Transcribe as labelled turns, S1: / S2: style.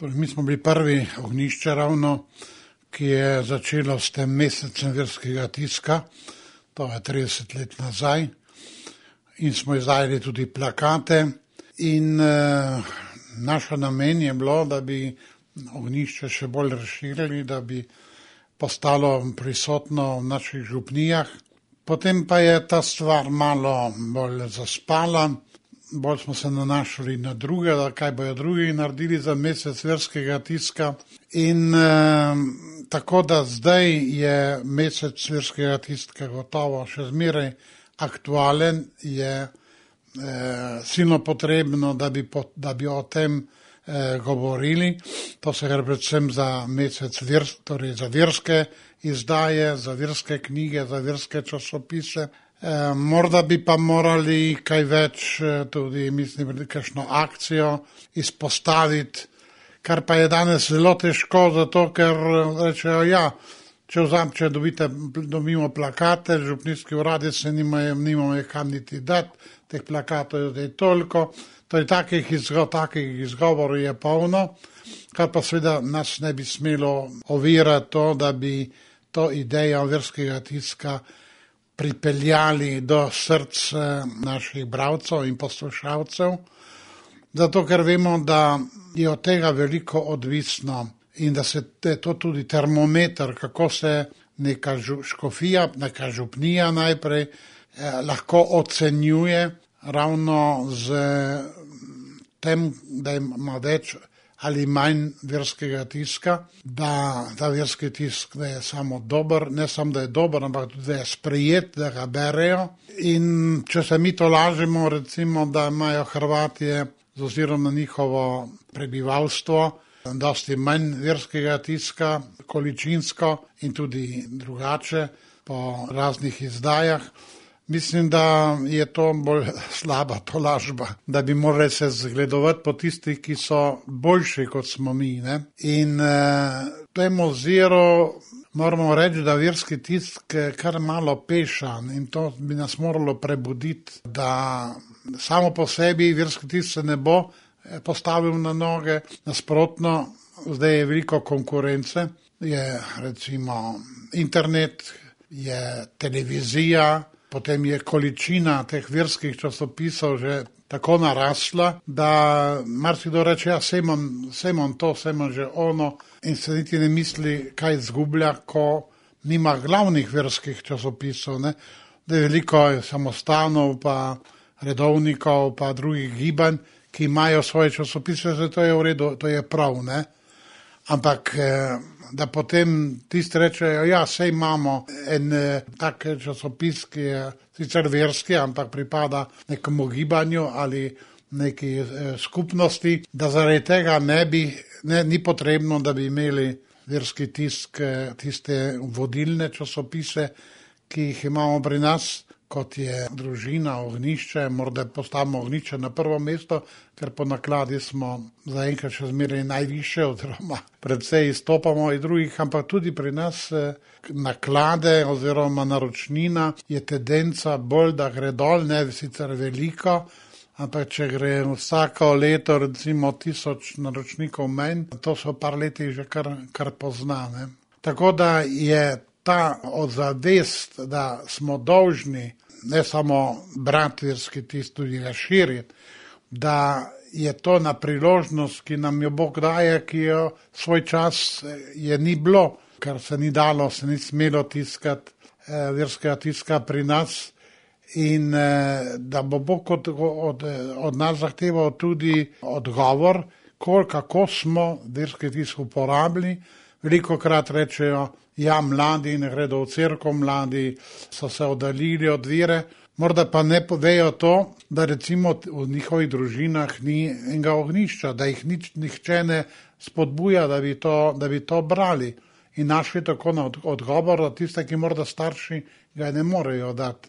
S1: Torej, mi smo bili prvi ognjišče ravno, ki je začelo s tem mesecem verskega tiska, to je 30 let nazaj, in smo izdajali tudi plakate in naša namen je bilo, da bi ognjišče še bolj razširili, da bi postalo prisotno v naših župnijah. Potem pa je ta stvar malo bolj zaspala, bolj smo se nanašali na druge, da kaj bojo drugi naredili za mesec verskega tiska. In tako da zdaj je mesec verskega tiska gotovo še zmeraj aktualen, je silno potrebno, da bi o tem govorili. To se gre predvsem za mesec torej za verske izdaje, za verske knjige, za verske časopise. Morda bi pa morali kaj več tudi, mislim, kakšno akcijo izpostaviti, kar pa je danes zelo težko, zato ker rečejo, ja, če dobimo plakate, župnijski uradi se nimamo kam niti dati, teh plakatov je toliko, torej takih izgovorov je polno, kar pa seveda nas ne bi smelo ovirati to, da bi to idejo verskega tiska pripeljali do src naših bralcev in poslušalcev, zato ker vemo, da je od tega veliko odvisno in da je to tudi termometer, kako se neka škofija, neka župnija najprej lahko ocenjuje ravno z tem, da ima več ali manj verskega tiska, da ta verski tisk da je samo dober, ne samo da je dober, ampak tudi da je sprejet, da ga berejo. In če se mi to lažemo, recimo, da imajo Hrvatije z ozirom na njihovo prebivalstvo dosti manj verskega tiska, količinsko in tudi drugače po raznih izdajah. Mislim, da je to bolj slaba tolažba, da bi morali se zgledovati po tistih, ki so boljši kot smo mi. Ne? In v tem oziru moramo reči, da verski tisk kar malo pešan in to bi nas moralo prebuditi, da samo po sebi verski tisk se ne bo postavil na noge, nasprotno, zdaj je veliko konkurence, je recimo internet, je televizija, potem je količina teh verskih časopisov že tako narasla, da marsikdo reče, ja, sej imam to, sej imam že ono in se niti ne misli, kaj izgublja, ko nima glavnih verskih časopisov, ne. Da je veliko samostanov, pa redovnikov, pa drugih gibanj, ki imajo svoje časopise, zato je v redu, to je prav, ne. Ampak da potem tisti rečejo, ja, sej imamo en tak časopis, ki je sicer verski, ampak pripada nekomu gibanju ali neki skupnosti, da zaradi tega ni potrebno, da bi imeli verski tisk, tiste vodilne časopise, ki jih imamo pri nas, kot je Družina, Ognjišče, morda postavimo Ognjišče na prvo mesto, ker po nakladi smo zaenkrat še zmeraj najvišje, oziroma predvsej izstopamo iz drugih, ampak tudi pri nas naklade oziroma naročnina je tendenca bolj, da gre dol, ne sicer veliko, ampak če gre vsako leto recimo 1000 naročnikov manj, to so par letih že kar poznane. Tako da je ta odzavest, da smo dolžni ne samo brati verski tisk, tudi ga širiti, da je to na priložnost, ki nam jo Bog daje, ki jo svoj čas je ni bilo, ker se ni dalo, se ni smelo tiskati verskega tiska pri nas in da bo Bog od nas zahteval tudi odgovor, kako smo verski tisk uporabili. Velikokrat rečejo, ja, mladi ne gredo v cerkev, mladi so se oddaljili od vere, morda pa ne povejo to, da recimo v njihovih družinah ni enega ognjišča, da jih nihče ne spodbuja, da bi to brali in našli tako na odgovor, da tiste, ki morda starši ga ne morejo dati.